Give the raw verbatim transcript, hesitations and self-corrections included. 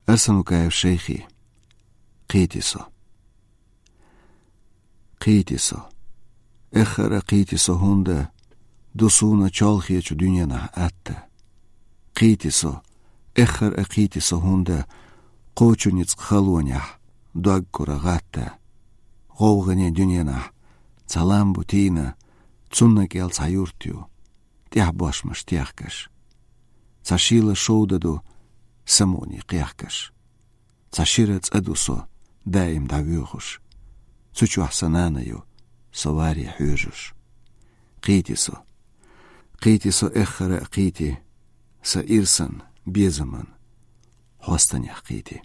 Арсанукаев Шайхи. Кхийти со. Кхийти со. Эххар а кхийти со, хӀунда ду суна чолхечу дуьненахь атта. Кхийти со. Эххар а кхийти со, хӀунда кхочу ницкъ халонехь дог кура гӀатта. ГӀовгӀане дуьненахь цхьа лам бу тийна, цунна кӀел цхьа юрт ю, тӀехь бошмаш техкаш. Цхьа шийла шовда ду самукъане кхехкаш. Цхьа шира цӀа ду со даим дӀавоьхуш. Цу чохь сан нана ю, со варе хьоьжуш. Кхийти со. Кхийти со, эххар а кхийти, сан ирсан, безаман хьостанех кхийти.